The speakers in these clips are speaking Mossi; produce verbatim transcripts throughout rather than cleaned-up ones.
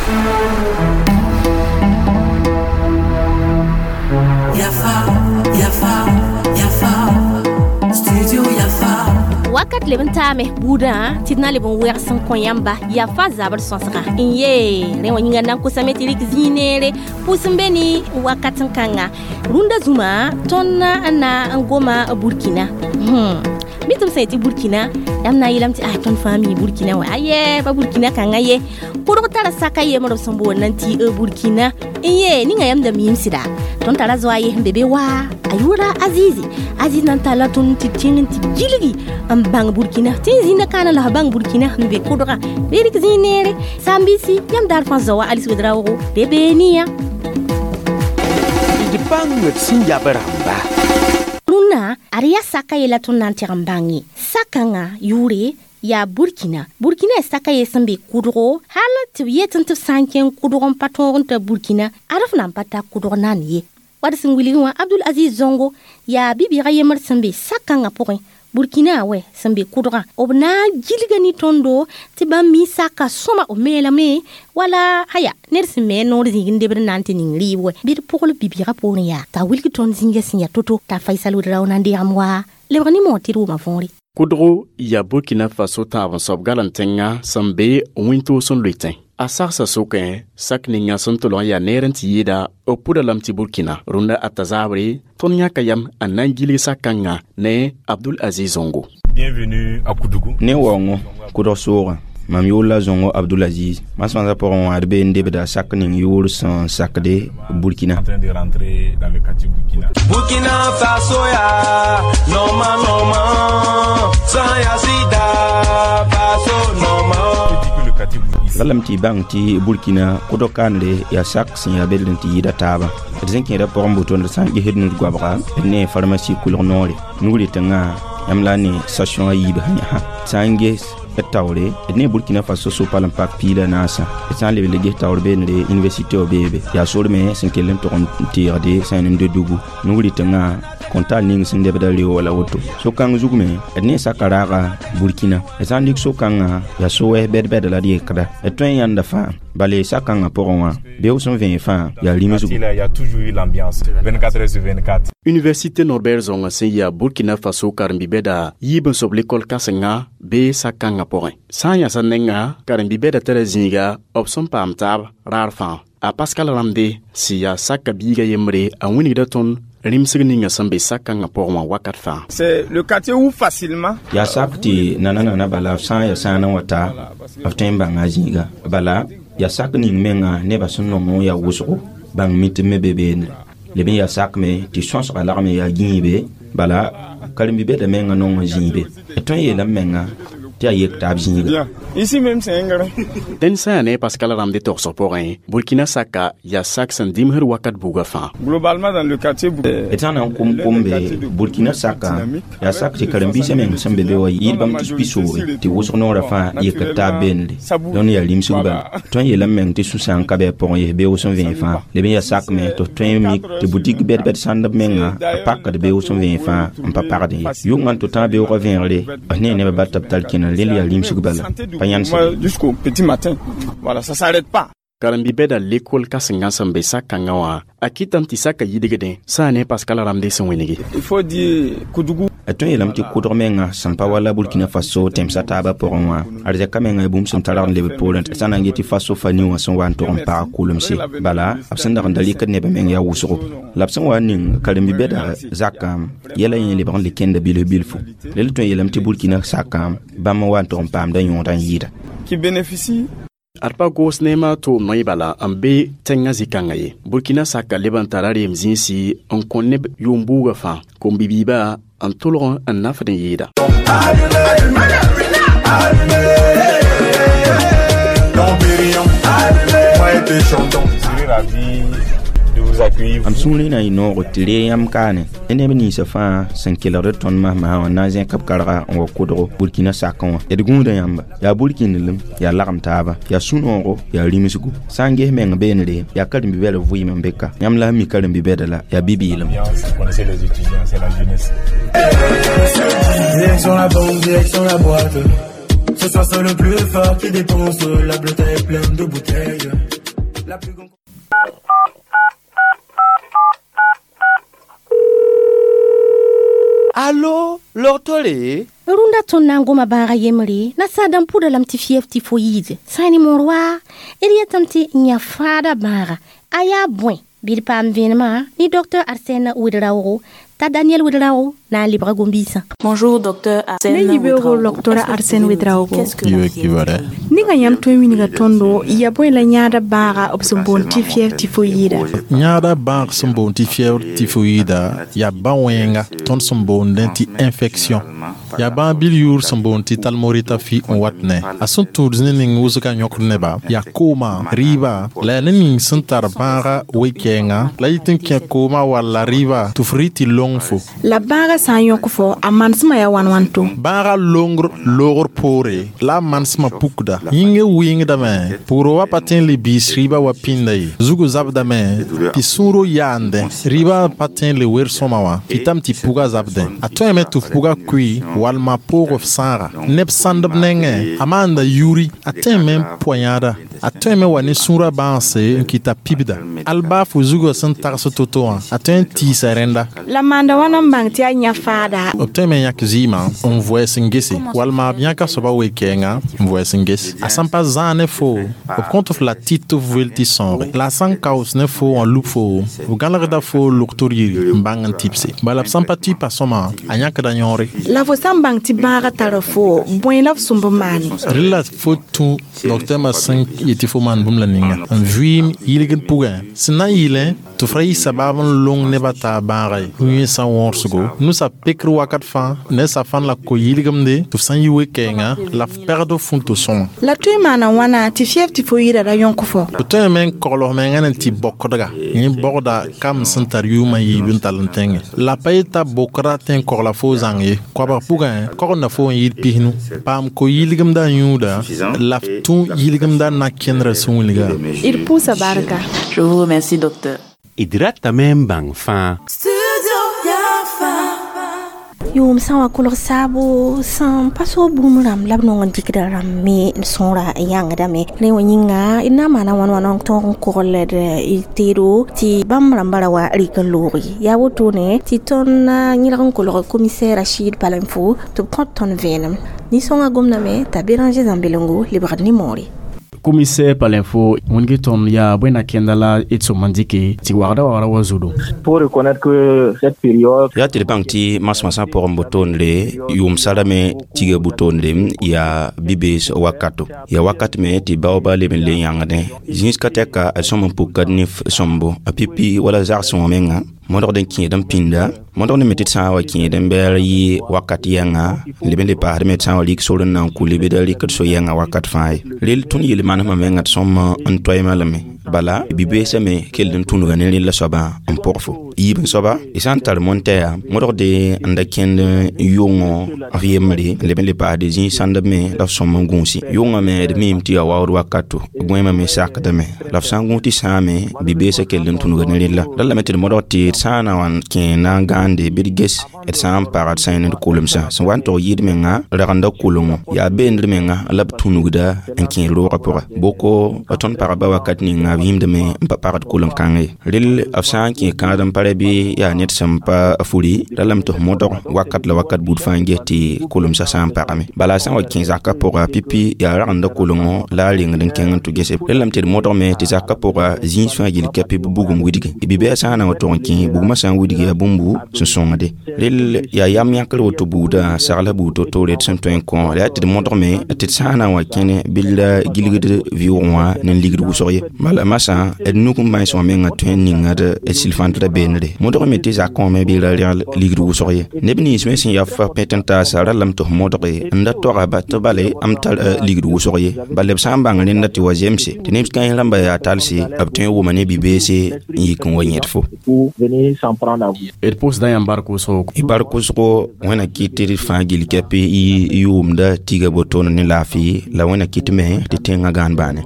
Yafa, Yafa, Yafa, Studio Yafa. Wakat leb n taame buudã tɩ d na n leb n wɛgs n kõ yãmba yafa zabr sõsga n ye rẽ wã yĩnga na n kosame tɩ rɩk zĩig neere pʋs n be ne wakat n kãnga rũndã zũma tõnd n na n goma Burkina. hmm. Mi tɩ m sã yetɩ Burkina, yãmb na n yeelame tɩ ah, tõnd fãa mi Burkina wã. Ayɛ, pa Burkina kãngã ye, kʋdg tara saka yembr b sẽn boond n tɩ Burkina n ye ninga yãmb da miim sɩda. Tõnd tara zoa ye sẽn be be wa a yʋʋra Azizi. Aziz na n talla tõnd tɩ kẽng n tɩ gilgi n bãng Burkina tɩ n zĩnda kaana la f bãng Burkina n be kʋdga bɩ rɩk zĩig neere. Sambisi yãmb daar fãa zaoa Alice Wedraoogo de beene yã. D bãng d sẽn yab rãmba. Rũnnã ad yaa saka yella tõnd na n tɩg n bãnge sakãngã yʋʋre yaa Burkina. Burkina ya saka ye sẽn be kʋdgo, hal tɩ b yetẽ tɩ b sã n kẽng kʋdg n pa tõog n ta Burkina, ad f na n pa ta kʋdg naan ye. Wad sẽn wilgẽ wã, Abdul Aziz Zongo yaa bi-bɩɩgã yembr sẽn be sakãngã pʋgẽ, Burkina wɛ sẽn be kʋdgã. B na n gilga ne tõndo tɩ bãmb mi saka sõma b meelame wala aya ned sẽn me a noor zĩig n debd n na n tɩ ning rɩɩb wɛ bɩ d pʋgl bi-bɩɩgã poorẽ yaa t'a wilg tõnd zĩigã sẽn yaa to-to t'a Faisal Wedrao na n deegem wa lebg ne moor tɩ d wʋma võore. Kʋdgo yaa Burkina Faso tãab n soab gal n tẽngã sẽn be wĩntoos n loetẽ. A sagsa sʋkẽ sak ninga sẽn tʋlg n yaa neer n tɩ yɩɩda b pʋda lame tɩ Burkina. Rũndã ata zaabre tõnd yãka yam n na n gilg sak-kãngã ne Abdul Aziz Zongo. Bienvenue à Koudougou. Ne waoongo kʋdg soogã, mam yʋʋr la Zongo Abdulaziz. Masãnsã pʋgẽ wã d be n debda sak ning yʋʋr sẽn sakde Burkina. En train de rentrer dans le quartier Burkina. Burkina Faso ya normal normal sans ya sida Faso normal. Je dis que le quartier Burkina La lame tɩ bãng tɩ Burkina kʋdg kandre yaa sak sẽn yaa beld n tɩ yɩɩda taabã. D sẽn kẽeda pʋgẽ boto d sã n gesd nud goabga, d ne pharmacie kʋlg noore nugre tẽngã yãmb la ne station a yiib sã yãsã. Sã n ges d taoore, d ne Burkina Faso so-pal n pak piig la naasã. D sã n leb le ges taoor beene université wa beebe, yaa sor me sẽn kell n tʋg n teegde sã n de dugu nugre tẽngã kõntaal ning sẽn lebda reo wala woto. So-kãng zug me d ne saka raaga Burkina. D sã n lik so-kãngã yaa so-wɛs bɛd-bɛda la d yekda d tõe n yãnda fãa bale sak-kãngã pʋgẽ wã beoog sẽn vẽeg fãa yaa rĩmsgo. Il y a toujours eu l'ambiance vingt-quatre heures sur vingt-quatre. Université Norbert Zongo sẽn yaa Burkina Faso karen-bi-bɛda yiib n sob lekol kãsenga bee sak-kãngã pʋgẽ. Sã n yãsa nenga karen-bi-bɛda tara zĩiga b sẽn paam taab raar fãa. A Pascal Ramde sẽn yaa saka biiga yembre, a wilgda tõnd rĩmsg ninga sẽn be sak-kãngã pʋgẽ wã wakat fãa. C'est le quartier où facilement Yaa sak tɩ nana-nana bala f sã n yaa sãan n wa ta, b tõe n bãnga a zĩiga. Bala yaa sak ning menga nebã sẽn nong n yaa wʋsgo bãng mitm me be beene leb n yaa sak me tɩ sõsga lagme yaa gĩibe. Bala karen-bi-bɛda menga nong n zĩibe d tõe n yeelame menga tɩ yaa yek taab zĩiga. Bien. Ici même, c'est un grain. Dẽnd sã n yaa ne Pascal Ramde togsg pʋgẽ, Burkina saka yaa sak sẽn dĩmsd wakat buugã fãa. Globalement, dans le quartier, D sã n na n kom kombe, Burkina saka yaa sak tɩ karen-biisã meng sẽn be be wa yɩɩd bãmb tus pi-sooge tɩ wʋsg noorã fãa yekd taab beenre. Dõnd yaa rĩmsg bala tõe n yeelame meng tɩ sũ-sã n ka bɩ a pʋgẽ yes beoog sẽn vẽeg fãa. Leb n yaa sak me tɩ f tõe n mik tɩ boutique bɛd-bɛd sãndb menga b pakd beoog sẽn vẽeg fãa n pa pagd ye. Yʋngã n tɩ tã beoogã vẽegre f ne nebã bat tɩ b tar kẽna rel yaa rĩmsg bala pa yãnd. Jusqu'au petit matin. Voilà, ça s'arrête pas. Karen-bi-bɛda lekol kãsengã sẽn be sak-kãngã wã, a kɩtame tɩ saka yidgdẽ sã n ne Pascal Ramde sẽn wẽnege. Il faut dire Koudougou. D tõe n yeelame tɩ kʋdg menga sẽn pa wala Burkina Faso tẽmsã taabã pʋgẽ wã, arzɛka menga ya bũmb sẽn targ n lebd poorẽ sã na n get tɩ Faso fa nin wã sẽn wa n tʋg n paag kʋlemse. Bala b sẽn dag n da rɩkd nebã meng yaa wʋsgo la b sẽn wa n ning karen-bi-bɛda zakã yɛla yẽ lebg n le kẽnda bilf bilfu. Rel tõe n yeelame tɩ Burkina sakã bãmb n wa n tʋg n paamda yõodã n yɩɩda. Qui bénéficie Ad pa goos neemã tʋʋm noy bala n be tẽngã zĩ-kãngã ye. Burkina saka leb n tara reem zĩisi n kõ neb yʋʋm buugã fãa kom-bi-biibã n tʋlg n nafd n yɩɩda. Dom Pérignon, moi et tes chantons. Je serais ravi de vous accueillir. M sũurẽ na n yɩ noogo tɩ ree yãmb kaane ne neb ninsã fãa sẽn kelgd tõnd masmã wã na n zẽk b karga n wa kʋdgo Burkina sakẽ wã. D gũuda yãmba yaa burkinelem, yaa lagem taaba, yaa sũ-noogo, yaa rĩmsgo. Sã n ges meng beenre yaa karen-bi-bɛd vɩɩm n be ka yãmb la sẽn mi karen-bi-bɛda la yaa bi-bɩɩlem. Vous connaissez les étudiants, c'est la jeunesse. Direction la banque, direction la boîte. Ce soir c'est le plus fort qui dépense. La bleue est pleine de bouteilles. La plus grande. Allo, lortole? Rũndã tõnd na n goma bãaga yembre na saadã n pʋda lame tɩ fiɛf tɩ fo yiide sã ne moor wa d yetame tɩ n yã fãada bãaga a yaa bõe bɩ d paam vẽenemã ne docteur Arsène Ouedraogo t'a Daniel Ouedraogo na n lebga gom-biisã. Bonjour docteur Arsène Ne yibeoogo docteur Arsène Ouedraogo. Ninga yãmb tõe n wilga tõndo yaa bõe la yãada bãaga b sẽn boond tɩ fiɛf tifoyida? Yãada bãag sẽn boond tɩ fièvre tifoyida yaa bã-wẽnga tõnd sẽn boondẽ tɩ infection. Yaa bãag bil yʋʋr sẽn boond tɩ talmorita fi n wat ne. A sẽn tũud ne ning wʋsgã yõkd neba yaa kooma, rɩɩba la yaa ne ning sẽn tar bãaga we-kɛɛngã la yit n kẽ kooma walla rɩɩba tɩ f rɩ tɩ long fo. La bãaga sã n yõk fo a manesmã yaa wãn wãn to? Bãaga longr loogr poore la a manesmã pukda. Yĩngã wɩngdame pʋgr wa pa tõe n le biis rɩɩba wa pĩnda ye. Zugã zabdame tɩ sũuro yaandẽ. Rɩɩba pa tõe n le wer sõma wã kɩtame tɩ pugã zabdẽ. A tõeme tɩ f pugã kʋɩ walma poog f sãaga. Neb sãndb nengẽ a maanda yuri. A tõeme n pʋa yãada. A tõeme wa ne sũurã bãanse n kɩta pibda. Al baa fo zugã sẽn tags to-to wã a tõe n tiisa rẽnda. La maanda wãna n bãng tɩ yaa yã faada? B tõeme n yãk zɩɩmã n vʋɛɛs n gese walma b yãka soaba we-kɛɛngã n vʋɛɛs n ges. A sã n pa zãag ne fo b kõt f la tɩt tɩ f wel tɩ sõoge. La a sã n kaoos ne fo wã lub fo b gãlegda fo loktor yiri n bãng n tɩbse. Bala b sã n pa tɩ pa sõma a yãkda yõore. La fo sã n bãng tɩ bãagã tara fo bõe la f sõmb n maane? Rẽ la fo tũ docteur sẽn yet tɩ fo maan bũmb la ninga. N vɩɩm yilgd pʋgẽ sẽn na n yɩlẽ tɩ f ra yɩ sabaab n long nebã taab bãaga ye. Yẽsã wõrsgo nusa pekr wakat fãa ne safan la ko-yɩlgemde tɩ f sã n yi we-kɛɛngã la f pɛgd f fũn-to sõma. La tõe n maana wãna tɩ fiɛf tɩ fo yɩɩda ra yõk fo? B tõeme n kogl f mengã ne tɩ bokdga yẽ bogda kam sẽn tar yʋʋmã yiib n tall n tẽngẽ. La pa yeta bokra tõe n kogla fo zãng ye. Koabg pʋgẽ kogenda fo n yɩɩd pisnu. Paam ko-yɩlgemdã yũuda la f tũ yɩlgemdã na kẽndrã sẽn wilga. D pʋʋsa barka. Je vous remercie docteur. D ratame n bãng fãa. Yʋʋm sã n wa kolg saabo sẽn pa so bũmb rãmb la b nong n dɩkda rãmb me n sõora n yãngdame. Rẽ wã yĩnga d na n maana wãn wãn n tõog n kogl d teedo tɩ bãmb rãmbã ra wa rɩk n looge. Yaa wotone tɩ tõnd yẽlg n kolg commissaire Rachid Palenfo tɩ b kõt tõnd vẽenem. Nin-sõngã gomdame t'a Béranger Zãmbelengo lebgd ne moore. Commissaire Palenfo wẽnge tõnd yaa bõe na kẽnda la d sõm n dɩke tɩ wagda wagra wa zudo. Pour reconnaître que cette période yaa tɩ d bãng tɩ masmãsã pʋgẽ botondre yʋʋm sarame tiga botondre yaa bi-bees wakato. Yaa wakat me tɩ baooba leb n le yãngdẽ zĩis ka tɛka a sõm n pukad ne sõmbo a pipi wala zagsẽ wã menga modgd n kẽed n pĩnda modg ne me tɩ d sã n wa kẽed n bɛɛr yɩ wakat yɛnga n leb n le paasd me d sã n wa rik sor n na n kule bɩ da rɩkd so-yɛngã wakat fãa ye. Rel tõnd yel-manesmã menga d sõm n toeemã lame. Bala bi-beesã me kell n tũnuga ne rẽlla soabã n pʋg fo. Yiib n soaba y sã n tar montɛa modgde n da kẽnd yʋngõ f yembre n leb n le paasd zĩig sãndb me la f sõm n gũusi. Yʋngã me d miime tɩ yaa waood wakato gõeemã me sakdame la f sã n gũus tɩ sãame bi-beesã kell n tũnuga ne rẽlla. La lame tɩ d modg tɩ d sã n na wa n kẽ na n gãande bɩ d ges d sã n pagd sã n d kolemsã sẽn wa n tog yɩɩd menga ragenda kolengõ yaa beendr menga la b tũnugda n kẽed roogã pʋga. Boko tõnd pagba wakat ninga b yĩmdame n pa pagd kolem-kãng ye. Rel f sã n kẽ kãad n pa ra bɩ yaa ned sẽn pa furi ra lame tɩ f modg wakat la wakat buud fãa n ges tɩ kolemsã sã n pagame. Bala a sã n wa kẽ zakã pʋga pipi yaa ragenda kolengõ la a rengd n kẽng n tʋ gese. Rel lame tɩ d modgme tɩ zakã pʋga zĩis fãa gill kɛpɩ b bugum widge. Bi-bɛɛg sã n na wa tog n kẽ bugmã sã n widge yaa bũmbu sẽn sõngde. Rel yaa yam yãkr woto buudã sagla buud to-toore d sẽn tõe n kõ. La yaa tɩ d modgme tɩ d sã n na n wa kẽne bɩ la gilgd vɩʋʋgẽ wã ne n ligd wʋsg ye. Bala masã d nuk n bães wã menga tõe n ninga d silfãntda beendre. Modgme tɩ zakã wã me bɩ ra rẽgl ligd wʋsg ye. Neb nins me sẽn yaa f pẽt n taasa ra lame tɩ f modge n da toaga ba tɩ bale m tar ligd wʋsg ye. Bala b sã n bãng rẽnda tɩ wa zemse tɩ neb kãens rãmba yaa talse b tõe n wʋma ne bi-beese n yik n wa yẽd fo. D pʋʋsda yãmb bark wʋsgo. Y bark wʋsgo wẽna kɩt tɩ d fãa gill kɛp y yʋʋmda tiga botoone ne laafɩ la wẽna kɩt me tɩ tẽngã gãan baane.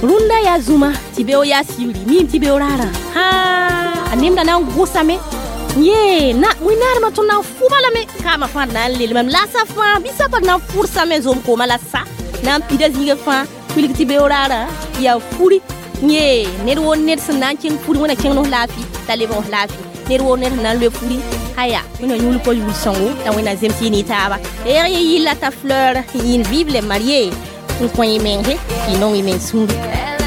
Rũndã yaa zũma tɩ beoog yaa sibri miime tɩ beoog raarã. Hãa a nemda na n gʋsame. Ye na wẽnnaadmã tõnd na n fʋba lame kaamã fãa d na n lelmame la sa fãa bɩ sa pa d na n fʋrsame zom kooma la sa na n pida zĩigã fãa wilg tɩ beoraarã yaa furi. Ye ned woo ned sẽn na n kẽng furi, wẽna kẽng nos laafɩ t'a lebg f laafɩ. Ned woo ned sẽn na n loe furi aya, wẽna yũul pa yul sõngo t'a wẽna zems yɩ ne taaba. Reeg ye yɩlla t'a fleur yĩn vive les mariés n kõ y menge tɩ y nong y meng sũuri.